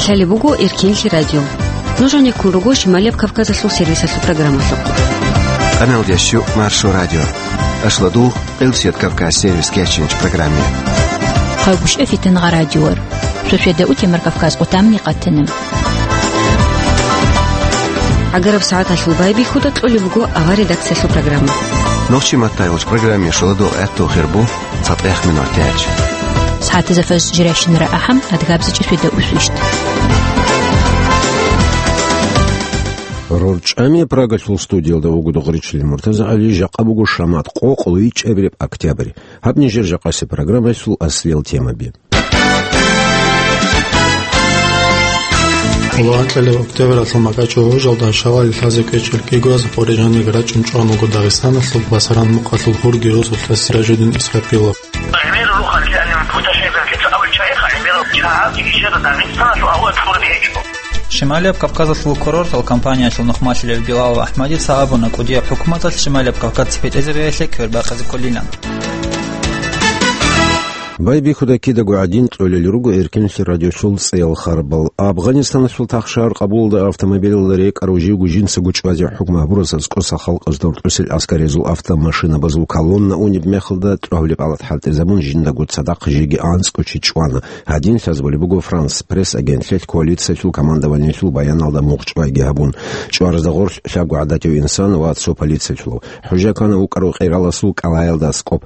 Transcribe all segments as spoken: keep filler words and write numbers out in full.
Лъалеб буго Эркенлъи радио. Нуж гьанеккун руго Шималияб Кавказалъул сервисалъул программалъухъ. Къаналдящу Маршо радио. Ашладул Къилсият Кавказ сервис кечинч программе. Хъагушев Фитангъа радиор. Шошеда утемар Кавказ къутамни къатана. Агараб сагӀаталъул байбихьуда кьолеб буго авар редакциялъул программа. Нохчи маттайгъуч программе шоладул гӀатту хирбу. ЦатӀех минутач. СагӀатазда фаз жирайщинара ахӀам, адгабзичӀи шведа усвищт. РорчӀами Прагалъул студиялда вуго Дугъричил Муртазагьали, жакъа буго шамат къокъ вичӀабилеб октябрь. Гьаб нижер жакъасеб программаялъул аслиял темаби. Лугьанкьалев октябралъул макьачӀо гьужалда шавали лъазе кӀвечӀел кӀигояз къорижаниг рачӀун чӀван вуго Дагъистаналъул Басаран мукъалъул гьурги росулъа Сиражудин Исрапилов. ГӀемерал рухъалъе путашайзан лъица абулчагӀиха гӀемерал чагӀаги ишара Дагъистаналъул авлад кьурги гьечӀо. Шималияб Кавказалъул курортал компаниялъул нухмалъулев Билал Ахмадица абуна, кӀудияб хӀукуматалъ Шималияб Кавказ цепетӀезабиялъе квербакъизе кколилан. Байбихьуда кидаго гӀадин кьолел руго Эркенлъи радиолъул цӀеял харбал. Афганистаналъул тахшагьар Къабулалда автомобилалда рекӀарав живго жинцаго чӀвазе хӀукму гьабурас аскӀоса халкъазда рукӀусел аскаризул автомашинабазул колонна унеб мехалда тӀогьулеб алат хӀалтӀизабун жиндаго цадахъ жеги анцӀго чи чӀвана. Гьадин лъазабулеб буго Франс Пресс агентлъиялъ коалициялъул командованиялъул баяналда мухъчӀвайги гьабун. ЧӀваразда гъорлъ лъабго гӀадатив инсан ва цо полициялъулав. ХӀужа ккана вукӀарав къираласул кӀалаялда аскӀоб.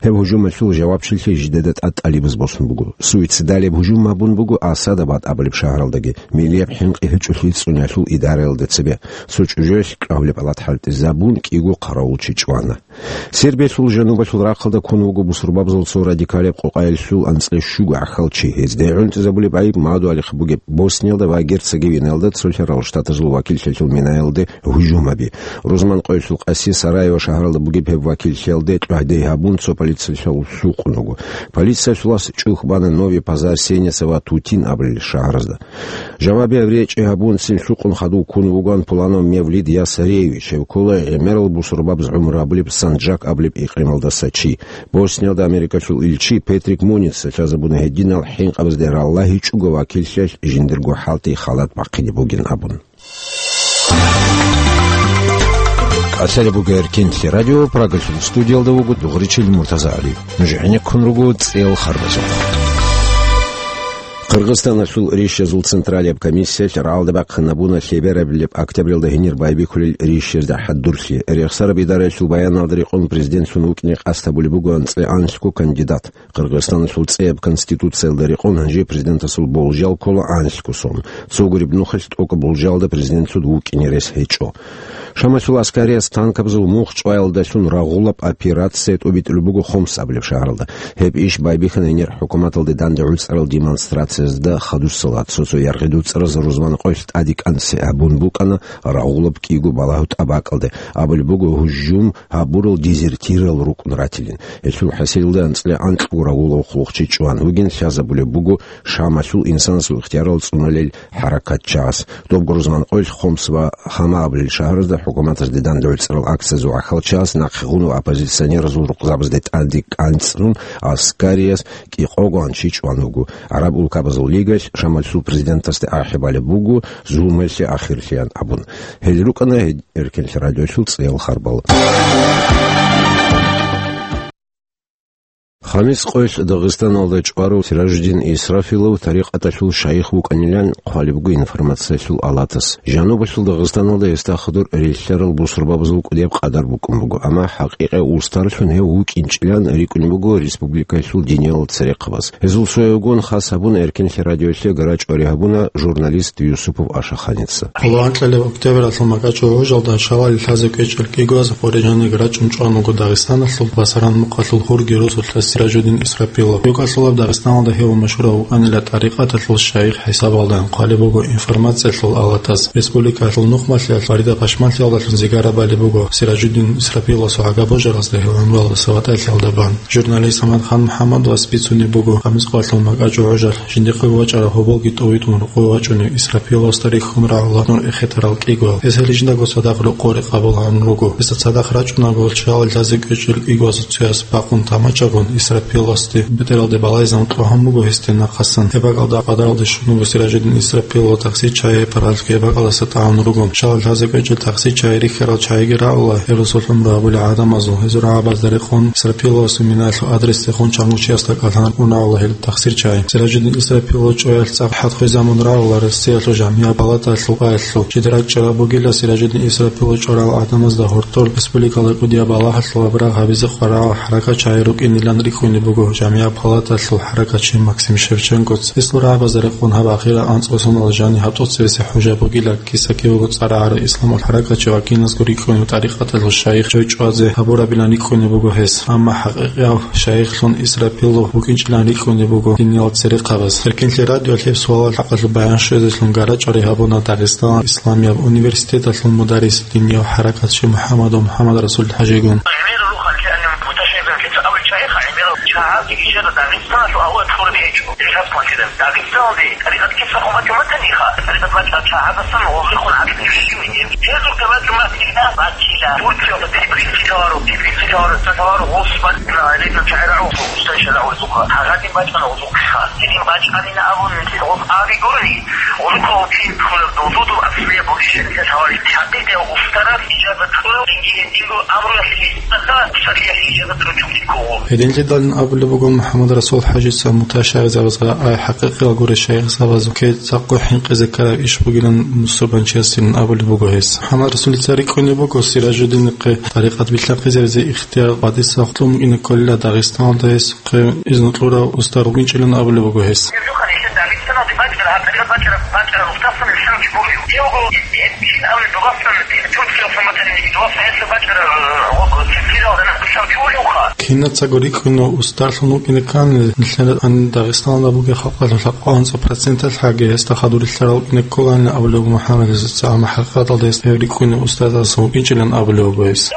Гьеб гьужумалъул жавабчилъи жидеда тӀад тӀалибаз босун буго. Суицидалияб гьужум гьабун буго Асадабад абулеб шагьаралдаги, милияб хӀинкъи гьечӀолъи цӀуниялъул идараялда цебе. Цо чӀужуялъ кӀагьулеб алат хӀалтӀизабун кӀиго хъаравулчи чӀвана. Сербиялъул жанубалъул рахъалда ккун вуго бусурбабазул цо радикалияб къокъаялъул анцӀила щуго гӀахьалчи. Гьезда гӀунтӀизабулеб гӀайиб мадугьалихъ бугеб Босниялда ва Герцеговинаялда цолъарал штатазул вакиллъиялъул минаялде гьужумаби. Рузман къоялъул къаси Сараево шагьаралда бугеб гьеб вакиллъиялде тӀагьде гьабун цо полициялъул лъукъун вуго. Полициялъулас чӀухь бана Нови Пазар, Сеница ва Тутин абулел шагьаразда. Жавабияб речӀи гьабун цин лъукъун хадув ккун вугоан Пуланов Мевлид Ясаревич, гьев ккола гӀемерал бусурбабаз гӀумру гьабулеб Санджак абулеб икърималдаса чи. Босниялда Америкалъул илчи Петрик Муница лъазабуна гьединал хӀинкъабазде раллагьичӀого вакиллъиялъ жиндирго хӀалтӀи халат бахъине бугин абун. Къасалеб буго Эркенлъи радио, Прагалъул студиялда вуго Дугъричил Муртазагьали. Нуж гӀенеккун руго цӀеял харбазухъ. Къыргъызстаналъул рищазул централияб комиссиялъ рагӀалда бахъинабуна лъеберабилеб октябралда гьенир байбихьулел рищазда хӀадурлъи. Рехсараб идараялъул баяналда рекъон президентлъун вукӀине къасд гьабулеб буго анцӀила анлъго кандидат. Къыргъызстаналъул цӀеяб конституциялда рекъон гьанже президентасул болжал ккола анлъго сон. Цо гуреб нухалъ тӀокӀаб болжалда президентлъун вукӀине рес гьечӀо. Шамалъул аскариялъ танкабазул мухъ чӀваялдалъун рагъулаб операция тӀобитӀулеб буго Хомс абулеб шагьаралда. Гьеб иш байбихьана гьенир хӀукуматалде данде гӀуцӀарал демонстрациязда хадусала. Цо-цо яргъи дуцӀараз рузман къоялъ тӀаде кӀанцӀи гьабун букӀана рагъулаб кӀиго балагьу тӀабакӀалде. Абулеб буго, гьужум гьабурал дезертирал рукӀун ратилин. Гьелъул хӀасилалда анцӀила анкьго рагъулав хъулухъчи чӀван вугин, лъазабулеб буго Шамалъул инсанасул ихтиярал цӀуналел хӀаракатчияс. Доб рузман къоялъ Хомс ва Хама абулел шагьаразда хӀукуматазде данде гӀуцӀарал акциязул гӀахьалчияс нахъе гъун ва оппозиционеразул рукъзабазде тӀаде кӀанцӀун аскарияс кӀикъого анчи чӀван вуго. ГӀараб улкабазул лигаялъ Шамалъул президентасде ахӀи балеб буго зулмуялъе ахирлъиян абун. Гьел рукӀана гьед Эркенлъи радиолъул цӀеял харбал. Хамис къоялъ Дагъистаналда чӀварав Сиражудин Исрафилов тарикъаталъул шайих вукӀанилан хъвалеб буго информациялъул алатас. Жанубалъул Дагъистаналда гьесда хадур релълъарал бусурбабазул кӀудияб къадар букӀун буго, амма хӀакъикъа устарлъун гьев вукӀинчӀилан рикӀкӀунеб буго республикаялъул диниял церехъабаз. Гьезул цоявгун хас гьабун Эркенлъи радиолъе гара чӀвари гьабуна журналист Юсупов Ашаханица. Лугьанкьалев октябралъул макьачӀо гьужалда шавали лъазе кӀвечӀел кӀигояз къорижаниг рачӀун чӀван вуго Дагъистаналъул Басаран мукъалъул гьурги росулъа Сиражудин Исрапилов. РукӀалъулаб Дагъистаналда гьев машгьурав вукӀанила тӀарикъаталъул шайих хӀисабалда хъвалеб буго информациялъул алатас. Республикалъул нухмалъиялъ Фарида пашманлъиялдалъун зигарабали буго Сиражудин Исрапиловасул гӀага божаразда гьев гӀумруялдаса ватӀалъиялда бан. Журналист Самадхан МухӀаммадовас бицунеб буго, Хамис къоялъул макьачӀо гьужалъ жиндихъего вачӀараб гьоболги тӀовитӀун рокъове вачӀунев Исрапиловасда рихьун рагӀула нур эхетарал кӀигоял. Гьес гьеле жиндаго цадахъ рокъор рекъон гьабун руго. Гьесда цадахъ рачӀунаго шавали лъазе кӀвечӀел кӀигоясул цояс бакъун тамачагун, Исрапиловасде бетӀералде балайзан кьогьан буго гьесде нахъасан. Гьеб бакӀалда къадаралде щун буго Сиражуддин Исрапилов таксичагьи гьеб паралъго гьеб бакӀалдаса тӀагӀун руго. Щалал лъазе кӀвечӀел таксичагьи рихьарал чагӀиги рагӀула гьел росулъ гӀумру гьабулел гӀадамазул. Гьезул рагӀабазда рекъон Исрапиловасул минаялъул адресде хун чанго чиясда кӀалъан унагьула гьел таксичагьи. Сиражуддин Исрапилов чӀваялъ цӀакъ хӀатӀ-хвезабун рагӀула Россиялъул жамгӀияб палаталъул къоялъул. Жидер рачӀараб бугила Сиражуддин Исрапилов чӀварал гӀадамазда гьоркьор республикалда кӀудияб балагьалъул гьабураб гьабизе хъварагӀал хӀаракатчагьи рукӀинилан рикӀкӀунеб буго жамгӀияб палаталъул хӀаракатчи Максим Шевченкоца. Гьесул рагӀабазда рекъон гьаб ахирал анцӀго соналъ жаниб гьаб тӀоцебесеб хӀужа бугила, киса-кивего цӀар гӀараб исламалъул хӀаракатчи ваккиназго рикӀкӀунев тӀарикъаталъул шайих чӀвай чӀвазе гьабурабилан рикӀкӀунеб буго гьес. Амма хӀакъикъияв шайихлъун Исрапилов вукӀинчӀилан рикӀкӀунеб буго диниялда церехъабаз. Эркенлъи радиоялъ гьеб суалал хӀакъалъулъ баян щвезелъун гара-чӀвари гьабуна Дагъистаналъул исламияб университеталъул мударрис, динияб хӀаракатчи МухӀаммадов МухӀаммад-Расул ХӀажигун. Дагъистаналде тӀарикъат киса хъуматӀун батаниха, тӀарикъат бачӀарал чагӀаздасан гъозихъун гӀадин режим. Гьезухъе бачӀун батила, Турциялда Тбилисияларо, Тбилисияларо, Тбилисияларо гъос батила, гьелда чагӀи рагӀу, устан шала гъозухъа. Гьагадин бачӀана гъозухъеха. Гьедин бачӀанина абун гъос абигурни, гъозухъа гъоцин кколеб дозодул аслияб гъозишел лъалареб. ХӀакъикъияв устарас ижазат кьурав, цинги гьединго амруялъе гьесдаха, шаргӀиялъе ижазат ручӀунги ккого. Гьединлъидалин абулеб буго МухӀаммад-Расул ХӀажица муташагӀизабазда, ай хӀакъикъиял гуреб шайихзабазухъе цӀакъго хӀинкъизе ккараб иш бугилан мусульманчиясин абулеб буго гьес. МухӀаммад-Расулица рикӀкӀунеб буго Сиражуддинихъе тӀарикъат билълъанхъизаризе ихтияр къадиса хутӀун букӀине кколила Дагъистаналда гьесухъе изну кьурав устар вукӀинчӀилан абулеб буго гьес. Гьеб жо хъанилъе Дагъистаналде бачӀараб, гьаб тӀарикъат бачӀараб, бачӀараб устарсан ишан чи гурев. Гьев гъо, ин, ин, ин абулеб дугасан, Турциялъа матани дугасан гьелъа бачӀараб, гъо, гъо, Турциялда нахъ бицав чи вугевха. Кинацаго рикӀкӀунев устарлъун вукӀине ккани, нилъер гьаниб Дагъистаналда бугеб халкъалъул лъабкъоялда анцӀ проценталъ гьаги гьесда хадур рилълъарал вукӀине кколаанила абулеб буго МухӀаммадица, амма хӀакъикъаталда гьес гьев рикӀкӀунев устарасдасан вукӀинчӀилан абулеб буго гьес.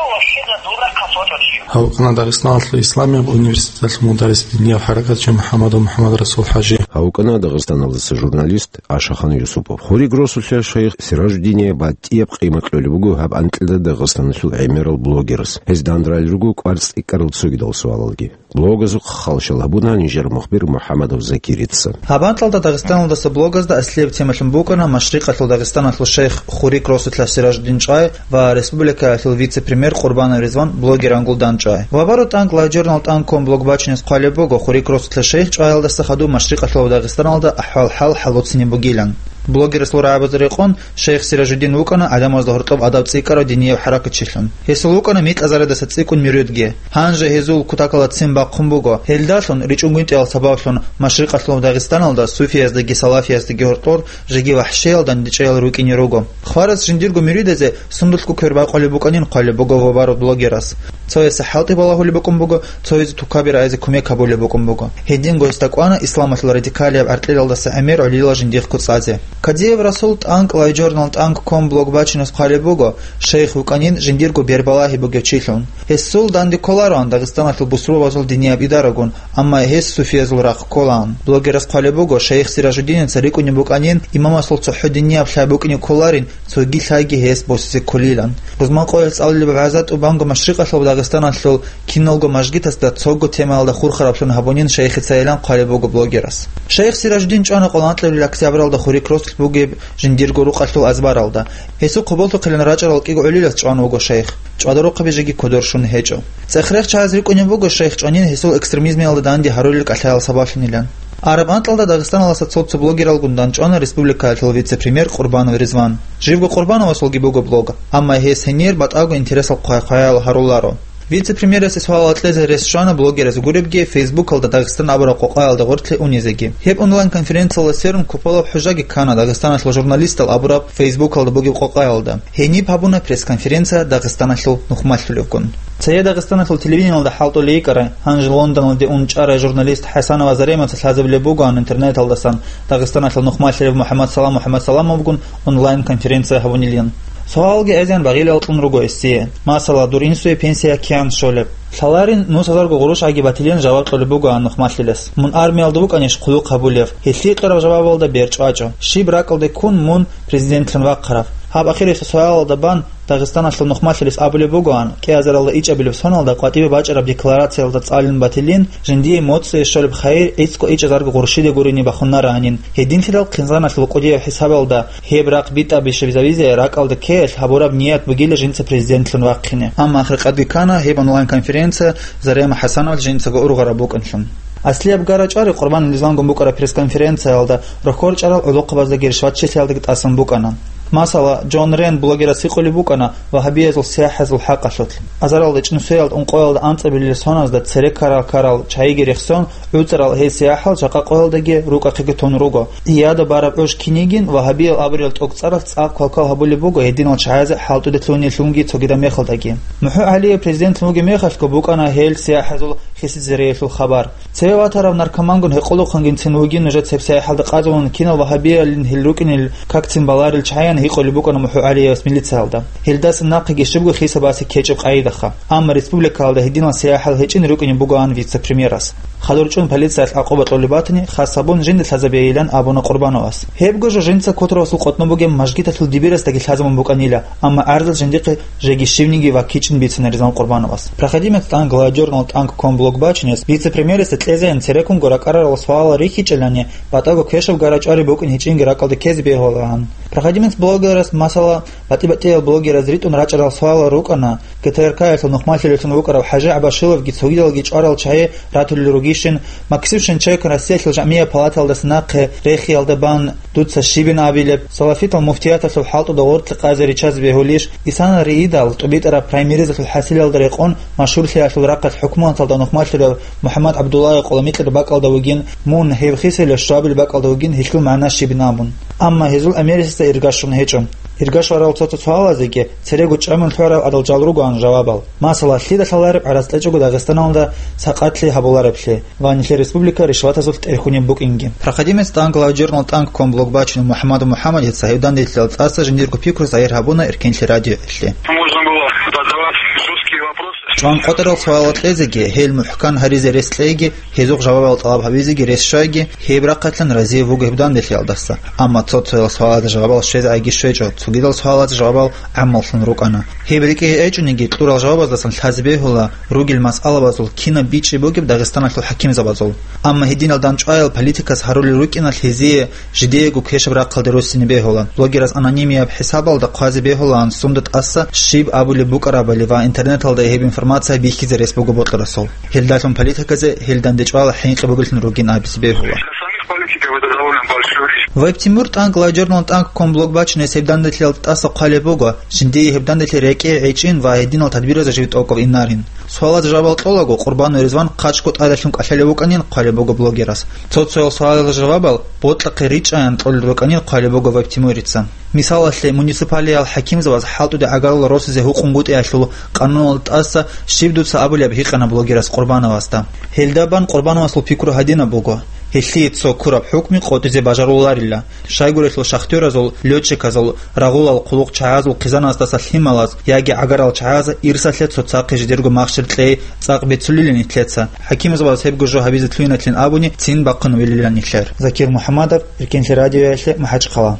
Гьав вукӀана Дагъистаналъул исламияб университеталъул мударрис, динияб хӀаракатчи МухӀаммадов МухӀаммад-Расул ХӀажи. Гьав вукӀана Дагъистаналдаса журналист Ашахан Юсупов. Хуриг росулъа шайх Сиражуддине батӀияб къимат кьолеб буго гьаб анкьида Дагъистаналъул гӀемерал блогерас. Гьез данде ралел руго кӀвар цӀикӀкӀарал цогидал суалалги. Блогазухъ халщал гьабуна нижер мухбир МухӀаммадов Закирица. Гьаб анкьалда Дагъистаналдаса блогазда аслияб темалъун букӀана Машрикъалъул Дагъистаналъул шайх Хурик росулъа Сиражуддин чӀвай ва республикаялъул вице-премьер Къурбанов Ризван блогерангул дандчӀвай. Вабару тӀанкӀ лайв-журнал тӀанкком блог бачине хъвалеб буго Хурик росулъа шайх чӀваялдаса хадуб Машрикъалъул Дагъистаналда ахӀвал-хӀал хӀалуцинеб бугилан. Блогерасул рагӀабазда рекъон, шайх Сиражуддин вукӀана гӀадамазда гьоркьоб адаб цӀикӀкӀарав динияб хӀаракатчилъун. Гьесул вукӀана микьазаридаца цӀикӀкӀун муридги. Гьанже гьезул кутакалда ццин бахъун буго. Гьелдалъун, ричӀчӀун гвинтӀиялъул сабаблъун, Машрикъалъул Дагъистаналда суфияздеги салафияздеги гьоркьор жеги вахӀшиял дандечӀаял рукӀине руго. Хварас жиндирго муридазде сундулъго квер бакъулеб букӀанин хъвалеб буго вабару блогерас. Цоясе хӀалтӀи балагьулеб букӀун буго, цоязе тукаби рагӀизе кумек гьабулеб букӀун буго. Гьединго гьесда кӀвана исламалъул радикалияб гӀаркьилалдаса гӀемер гӀолилал жиндихъго цӀазе. Кадиев Расул тӀанкӀ лайв-журнал тӀанкком блог бачине хъвалеб буго, шайх вукӀанин жиндирго бербалагьи бугев чилъун. Гьесул данде кколароан Дагъистаналъул бусурбабазул динияб идарагун, амма гьес суфиязул рахъ кколаан. Блогерас хъвалеб буго, шайх Сиражуддиница рикӀкӀунеб букӀанин, имамасул цохӀо динияб лъай букӀине кколарин, цоги лъайги гьес босизе кколилан. Рузман къоялъ цӀалулеб вагӀза тӀубанго Машрикъалъул Дагъистаналъул киналго мажгитасда цого темаялда хурхараблъун гьабунин шайхицайилан хъвалеб буго блогерас. Шайх Сиражуддин чӀвана къоло анкьабилеб октябралда Хурик росулъ бугеб жиндирго рукъалъул азбаралда. Гьесухъ гьоболлъухъилан рачӀарал кӀиго гӀолилас чӀван вуго шайх. ЧӀвадарухъаби жеги кодор щун гьечӀо. ЦӀех-рех чагӀаз рикӀкӀунеб буго шайх чӀванин гьесул экстремизмиялда данде гьарулел кӀалъаял сабаблъунилан. Араб анкьалда Дагъистаналдаса цо-цо блогералгун дандчӀвана республикаялъул вице-премьер Къурбанов Ризван. Живго Къурбановасулги буго блог, амма гьес гьенир батӀаго интересал хъвай-хъваял гьаруларо. Вице-премьерасе суалал кьезе рес щвана блогерас гуребги, Фейсбукалда Дагъистан абураб къокъаялда гъорлъе унезеги. Гьеб онлайн-конференциялда сверун купалаб хӀужаги ккана Дагъистаналъул журналистал абураб Фейсбукалда бугеб къокъаялда. Гьениб гьабуна пресс-конференция Дагъистаналъул нухмалъулевгун. Цее Дагъистаналъул телевидениялда хӀалтӀулей йикӀарай, гьанже Лондоналде ун чӀарай журналист ХӀасанова Заремаца лъазабилеб бугоан интернеталдасан Дагъистаналъул нухмалъарав МухӀаммад Салам МухӀаммад Саламовгун онлайн-конференция гьабунилан. Суалалги гӀезегӀан багъилал кьун руго гьесие. Масала, дур инсуе пенсия кигӀан щолеб? Лъаларин нус гьазарго гъурущ гӀаги батилин жаваб кьолеб бугоан нухмалъилас. Мун армиялда вукӀанищ хъулухъ гьабулев? Гьелъие кьураб жавабалда бер чӀвачӀо. Щиб ракӀалде ккун мун президентлъун вахъараб? Гьаб ахирисеб суалалда бан Дагъистаналъул нухмалъулес абулеб бугоан, кӀиазаралда ичӀабилеб соналда къватӀибе бачӀараб декларациялда цӀалин батилин, жиндие моцӀие щолеб хайир гӀицӀго ичӀазарго гъурщиде гурони бахунараанин, гьединлъидал хъинзаналъул кӀудияб хӀисабалда гьеб рахъ битӀа бищабизавизе ракӀалда ккеялъ гьабураб ният бугила жинца президентлъун вахъине. Амма ахиркъадги ккана гьеб онлайн-конференция Зарема ХӀасановал жинцаго ургъараб букӀанлъун. Аслияб гара-чӀвари Къурбан Ризвангун букӀараб пресс-конференциялда рохьорчӀарал гӀолохъабаздаги ришватчилъиялдаги тӀасан букӀана. Масала, Джон Рен блогерас гьикъулеб букӀана вагьабиязул сияхӀазул хӀакъалъулъ. Азаралда чӀинусиялда ункъоялда анцӀабилел соназда цере ккарал-ккарал чагӀиги рехсон, гӀуцӀарал гьей сияхӀал жакъа къоялдаги рукӀахъеги тун руго. Иада бараб гӀуж кинигин вагьабиял абурал тӀокӀцӀаралъ цӀакъ квалквал гьабулеб буго гьединал чагӀазе хӀалтӀуде лъугьине-лъугьинги цогидаб мехалдаги. МухӀу ГӀалиев президент вугеб мехалъго букӀана гьел сияхӀазул хисизариялъул хабар. Цеве ватарав наркомангун гьекъолухъангицин вугин нужецаб сияхӀалда къазулун кинал вагьабиялин гьел рукӀинел какцин баларел чагӀиян гьикъулеб букӀана МухӀу ГӀалиевас милициялда. Гьелдаса нахъеги щибго хисабасе ккечӀеб къагӀидаха. Амма республикалда гьединал сияхӀал гьечӀин рукӀине бугоан вице-премьерас. Хадур чӀун полициялъ гӀакъуба кьолеб батани, хас гьабун жинда лъазабейилан абуна Къурбановас. Гьебго жо жинца Котовасул къотӀноб бугеб мажгиталъул дибирасдаги лъазабун букӀанила, амма гӀарзал жиндихъе жеги щивниги ваккичӀин бицина Ризван Къурбановас. Проходимец тӀан гладиорнал тӀанк ком блог бачунес вице-премьерасда кьезеян цереккунго ракӀарарал суалал рихьичӀелани, батӀаго квешаб гара-чӀвари букӀин гьечӀинги ракӀалда ккезе бегьулаан. Проходимец блогерас, масала, батӀи-батӀиял блогераз ритӀун рачӀарал суалал рукӀана, ГТРК-ялъул нухмалъулеллъун вукӀарав ХӀажи ГӀабашиловги цогидалги чӀварал чагӀи ратулел ругищин, Максим Шинченко Россиялъул жамгӀияб палаталдаса нахъе рехиялда бан дуца щибин абилеб, салафитал муфтияталъул хӀалтӀуда гъоркье къазе риччазе бегьулищ, исана риидал тӀубитӀараб праймеризалъул хӀасилалда рекъон машгьурлъиялъул рахъалъ хӀукуматалда нухмалъулев МухӀаммад ГӀабдуллагьев къоламикьараб бакӀалда вугин, мун гьев хисилев щвабилеб бакӀалда вугин гьелъул магӀна щибин абун. Амма гьезул америсезда иргаш щун гьечӀо. Иргаш варал цо-цо суалазеги церего чӀамун лъугӀарал адал жал ругоан жавабал. Масала, лъида лъалареб гӀарац кьечӀого Дагъистаналда сакъатлъи гьабулареблъи ва нилъер республика ришватазулъ тӀерхьунеб букӀинги. Проходимец тӀан гладиорнал тӀанк ком блог бачунев МухӀаммадов МухӀаммадица гьев данделъидал тӀаса жиндирго пикру загьир гьабуна Эркенлъи радиоялъе. Можно было задавать жесткие вопросы. ЧӀван къотӀарал суалал кьезеги, гьел мухӀкан гьаризе рес кьейги, гьезухъ жавабал тӀалаб гьабизеги рес щвайги, гьеб рахъалъан разияб буго гьеб данделъиялдаса. Амма цо-цоял суалазда жавабал щвезегӀаги щвечӀо, цогидал суалазда жавабал гӀаммаллъун рукӀана. Гьеб рикӀкӀи гьечӀониги, кьурал жавабаздасан лъазе бегьула ругел масъалабазул кинаб бичӀчӀи бугеб Дагъистаналъул хӀакимзабазул. Амма гьединал дандчӀваял политикас гьарулел рукӀиналъ гьезие жидеего квешаб рахъалде руссине бегьула. Блогерас анонимияб хӀисабалда хъвазе бегьулаан сунда тӀаса щиб абулеб букӀарабали ва интернеталда гьеб информация бихьизе рес буго бокьарасул. Гьелдалъун политиказе гьел дандечӀвала хӀинкъи бугелъун ругин абизе бегьула. Для самих политиков это довольно большой риск. Вайб Тимур тӀанк гладиорнал тӀанк ком блог бачунес гьеб данделъиялда тӀаса хъвалеб буго, жиндие гьеб данделъи рекӀее гӀечӀин ва гьединал тадбиразе жив тӀокӀав инарин. Суалаз жавабал кьолаго, Къурбанов Ризван хъачӀго тӀадалъун кӀалъалев вукӀанин хъвалеб буго блогерас. Цо-цоял суалазул жавабал бокьахъе ричӀчӀаян кьолел рукӀанин хъвалеб буго Вайб Тимурица. Мисалалъе, муниципалиял хӀакимзабаз хӀалтӀуде гӀагарлъи росизе гьукъун гутӀиялъул къануналда тӀаса щиб дуца абулеб гьикъана блогерас Къурбановасда. Гьелда бан Къурбановасул пикру гьадинаб буго: гьелъие цо ккураб хӀукму къотӀизе бажаруларила. Щайгурелъул шахтёразул, лётчиказул, рагъулал хъулухъчагӀазул хъизаназдаса лъималаз яги гӀагарал чагӀаз ирсалъе цоцахъе жидерго махщел кьей цӀакъ бицулилин нилъеца. ХӀакимзабаз гьебго жо гьабизе лъугьинатлъин абуни, цин бахъун вилилан нилъер. Закир МухӀаммадов, Эркенлъи радиоялъе, МахӀачхъала.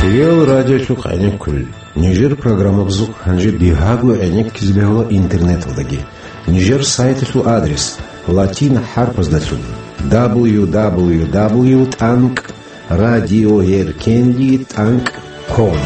Реал радиолъухъ гӀенеккулел. Нижер программабазухъ гьанже бигьаго гӀенеккизе бегьула интернеталдаги. Нижер сайталъул адрес латин хӀарпаздалъун: дабл ю дабл ю дабл ю тӀанкӀ радиоэркенлъи тӀанкӀ ком.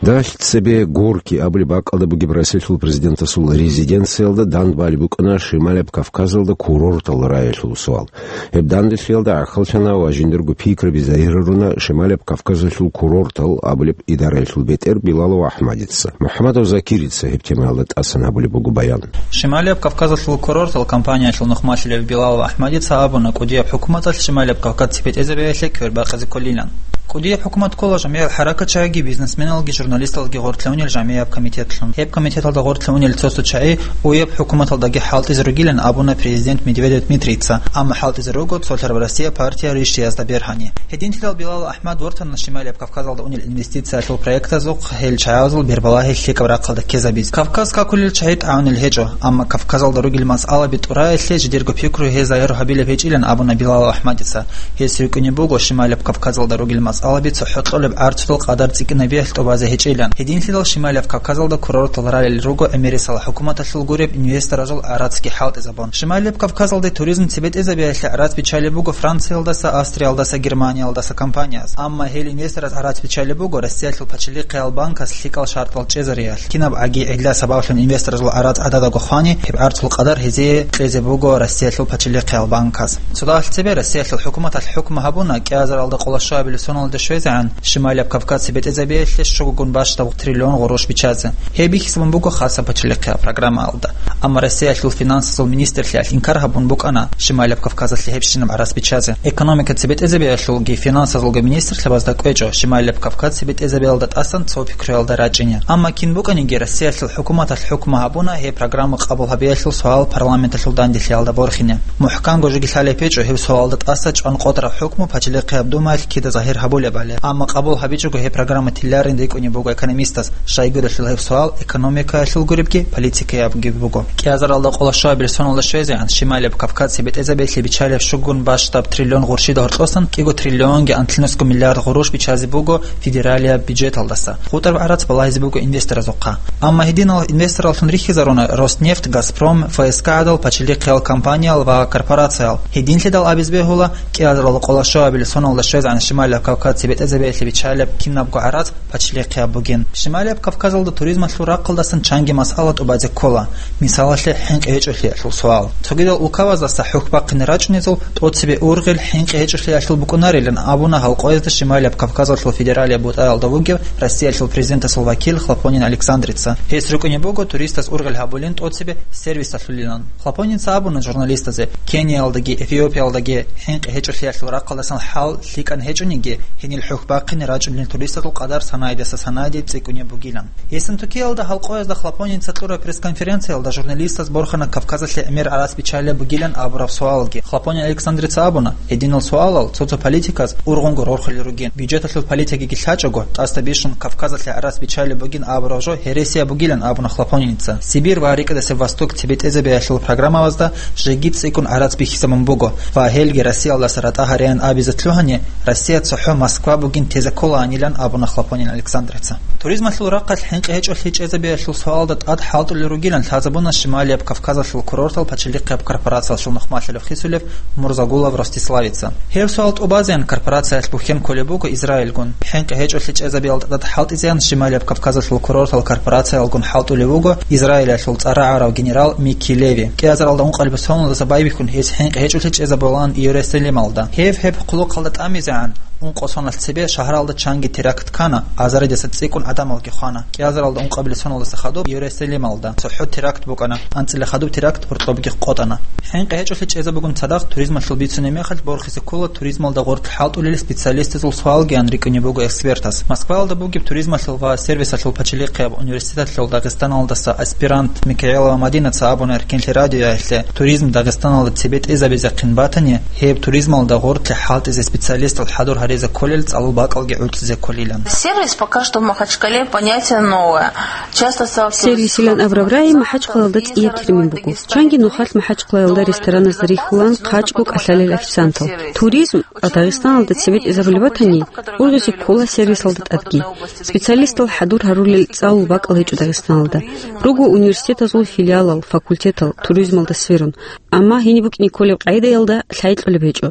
Дагь цебе Горький абулеб бакӀалда бугеб Россиялъул президентасул резиденциялда дандбалеб букӀана Шималияб Кавказалда курортал раялъул суал. Гьеб данделъиялда гӀахьаллъана ва жиндирго пикраби загьируна Шималияб Кавказалъул курортал абулеб идараялъул бетӀер Билалов АхӀмадица. МухӀаммадов Закирица гьеб темаялда тӀасан гьабулеб буго баян. Шималияб Кавказалъул курортал компаниялъул нухмалъулев Билалов АхӀмадица абуна, кӀудияб хӀукуматалъ Шималияб Кавказ цепетӀезабиялъе квербакъизе кколилан. КӀудияб хӀукумат ккола жамигӀал хӀаракатчагӀиги, бизнесменалги, журналисталги гъорлъе унел жамигӀаб комитетлъун. Гьеб комитеталда гъорлъе унел цо-цо чагӀи уеб хӀукуматалдаги хӀалтӀизе ругилан абуна президент Медведев Дмитрийица, амма хӀалтӀизе руго цолъараб Россия партия рищиязда бергьани. Гьединлъидал Билал АхӀмад вортана Шималияб Кавказалда унел инвестициялъул проектазухъ, гьел чагӀазул бербалагьи лъикӀаб рахъалда ккезабизе. Кавказ какулел чагӀи тӀагӀунел гьечӀо, амма Кавказалда ругел масъалаби тӀураялъе жидерго пикру гьез загьир гьабилеб гьечӀилан абуна Билал АхӀмадица. Гьес рукӀине буго Шималияб Кавказалда ругел масъалаби цохӀо кьолеб гӀарцудул къадар цӀикӀкӀинабиялъ тӀубазе гьечӀилан. Гьединлъидал Шималияб Кавказалда курортал ралел руго ГӀемерисел хӀукуматалъул гуреб инвесторазул гӀарацги хӀалтӀизабун. Шималияб Кавказалде туризм цебетӀезабиялъе гӀарац биччалеб буго Франциялдаса, Австриялдаса, Германиялдаса компанияз. Амма гьел инвестораз гӀарац биччалеб буго Россиялъул пачалихъиял банкас лъикӀал шартӀал чӀезариялъ. Кинаб гӀаги гӀилла сабаблъун инвесторазул гӀарац гӀададаго хвани, гьеб гӀарцул къадар гьезие кьезе буго Россиялъул пачалихъиял банкас. Цо дагьалъ цебе Россиялъул хӀукуматалъ хӀукму гьабуна кӀиазаралда къоло щуабилеб соналда щвезегӀан Шималияб Кавказ цебетӀезабиялъе щугогун бащдаб триллион гъурущ биччазе. Гьеб бихьизабун буго хасаб пачалихъияб программаялда. Амма Россиялъул финансазул министрлъиялъ инкар гьабун букӀана Шималияб Кавказалъе гьебщинаб гӀарац биччазе. Экономика цебетӀезабиялъулги финансазулги министрлъабазда кӀвечӀо Шималияб Кавказ цебетӀезабиялда тӀасан цо пикруялда рачӀине. Амма кин букӀаниги Россиялъул хӀукуматалъ хӀукму гьабуна гьеб программа къабул гьабиялъул суал парламенталъул данделъиялда борхине. МухӀканго жеги лъалеб гьечӀо гьеб суалда тӀаса чӀван къотӀараб хӀукму пачалихъияб думаялъ кида загьир гьабулебали. Амма къабул гьабичӀого гьеб программа тиларин рикӀкӀунеб буго экономистаз, щайгурелъул гьеб суал экономикаялъул гуребги, политикаябги буго. КӀиазаралда къоло щуабилеб соналда щвезегӀан Шималияб Кавказ цебетӀезабиялъе биччалеб щугун бащдаб триллион гъурщида гьоркьосан кӀиго триллионги анлънусго миллиард гъурущ биччазе буго федералияб бюджеталдаса. ХутӀараб гӀарац балагьизе буго инвесторазухъа. Амма гьединал инвестораллъун рихьизаруна Роснефть, Газпром, ФСК гӀадал пачалихъиял компаниял ва корпорациял. Гьединлъидал абизе бегьула, кӀиазаралда къоло щуабилеб соналда щвезегӀан Шималияб Кавказ цебетӀезабиялъе биччалеб кинабго гӀарац пачалихъияб бугин. Шималияб Кавказалда туризмалъул рахъалдасан чанги масъала тӀубазе ккола, мисалалъе, хӀинкъи гьечӀолъиялъул суал. Цогидал улкабаздаса хӀухь бахъине рачӀунезул тӀоцебе ургъел хӀинкъи гьечӀолъиялъул букӀунарилан абуна гьалкъоязда Шималияб Кавказалъул федералияб бутӀаялда вугев Россиялъул президентасул вакил Хлопонин Александрица. Гьес рукӀине буго туристас ургъел гьабулин тӀоцебе сервисалъулилан. Хлопоница абуна журналистазе, Кениялдаги Эфиопиялдаги хӀинкъи гьечӀолъиялъул рахъалдасан хӀал лъикӀан гьечӀониги, гьенил хӀухь бахъине рачӀунел туристазул къадар санайдаса санайде цӀикӀкӀунеб бугилан. Ессентукиялда гьалкъоязда Хлопоница кьураб пресс-конференциялда журналистаз борхана Кавказалъе гӀемер гӀарац биччалеб бугилан абураб суалги. Хлопонин Александрица абуна, гьединал суалал цо-цо политиказ ургъунго рорхулел ругин. Бюджеталъул политикаги лъачӀого, тӀасда бищун Кавказалъе гӀарац биччалеб бугин абураб жо гьересияб бугилан абуна Хлопоница. Сибирь ва рикӀкӀадасеб Восток цебетӀезабиялъул программабазда жеги цӀикӀкӀун гӀарац бихьизабун буго ва гьелги Россиялдаса ратӀа гьареян абизе лъугьани, Россия цохӀо Москва бугин тезе кколаанилан абуна Хлопонин Александрица. Туризмалъул рахъалъ хӀинкъи гьечӀолъи чӀезабиялъул суалда тӀад хӀалтӀулел ругилан лъазабуна Шималияб Кавказалъул курортал пачалихъияб корпорациялъул нухмалъарав хисулев Мурзагулов Ростиславица. Гьеб суал тӀубазеян корпорациялъ бухьен кколеб буго Израильгун. ХӀинкъи гьечӀолъи чӀезабиялда тӀад хӀалтӀизеян Шималияб Кавказалъул курортал корпорациялгун хӀалтӀулев вуго Израилалъул цӀарагӀарав генерал Микки Леви. КӀиазаралда ункъабилеб соналдаса байбихьун гьес хӀинкъи гьечӀолъи чӀезабулаан Иерусалималда. Гьев гьеб хъулухъалда тӀамизегӀан, ункъо соналъ цебе шагьаралда чанги теракт ккана, азаридаса цӀикӀкӀун гӀадамалги хвана. КӀиазаралда ункъабилеб соналдаса хадуб Иерусалималда цохӀо теракт букӀана, анцӀила хадуб теракт гьоркьобги къотӀана. ХӀинкъи гьечӀолъи чӀезабугун цадахъ туризмалъул бицунеб мехалъ борхизе ккола туризмалда гъоркь хӀалтӀулел специалистазул суалгиян рикӀкӀунеб буго экспертас. Москваялда бугеб туризмалъул ва сервисалъул пачалихъияб университеталъул Дагъистаналдаса аспирант Микаэлова Мадинаца абуна Эркенлъи радиоялъе, туризм Дагъистаналда цебетӀезабизехъин батани, гьеб туризмалда гъоркье хӀалтӀизе специалистал хӀадур гьаризе кколел цӀалул бакӀалги гӀуцӀизе кколилан. Сервис пока что в Махачкале понятие новое. Часто сталкиваюсь с... Сервисилан абураб рагӀи МахӀачкъалалда цӀияб термин буго. Чанги нухалъ МахӀачкъалаялда рестораназда рихьулан хъачӀго кӀалъалел официантал. Туризм Дагъистаналда цебетӀезабулеб батани, ургъизе ккола сервисалда тӀадги. Специалистал хӀадур гьарулел цӀалул бакӀал гьечӀо Дагъистаналда. Руго университетазул филиалал, факультетал туризмалда сверун, амма гьениб букӀине кколеб къагӀидаялда лъай кьолеб гьечӀо.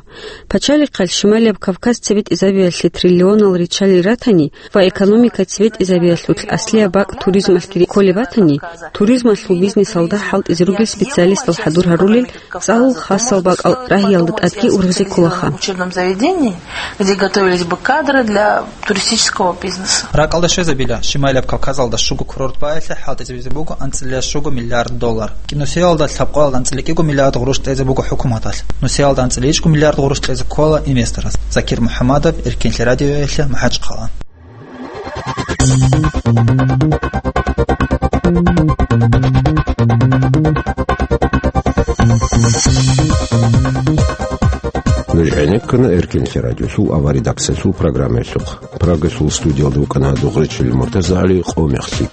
Пачалихъалъ Шималияб Кавказ цебетӀезабиялъе триллионал риччалел ратани ва экономика цебетӀезабиялъулъ аслияб бакӀ туризмалъги кколеб батани, туризмалъул бизнесалда хӀалтӀизе ругел специалистал хӀадур гьарулел цӀалул хасал бакӀал рагьиялда тӀадги ургъизе кколаха. Учебном заведении, где готовились бы кадры для туристического бизнеса. РакӀалда щвезабила, Шималияб Кавказалда щуго курорт баялъе хӀалтӀизабизе буго анцӀила щуго миллиард доллар. КӀинусиялда лъабкъоялда анцӀила кӀиго миллиард гъурущ кьезе буго хӀукуматалъ. Нусиялда анцӀила ичӀго миллиард гъурущ кьезе ккола инвесторас. Закир МухӀамадов, Эркин телерадиоялъе, МахӀачхъала. Нуж гӀенеккана Эркин телерадиосул аваридаксалъул программаялъухъ. Прагасул студиялда вукӀана Дугъричил МуртазагӀали, Къо мехлъи.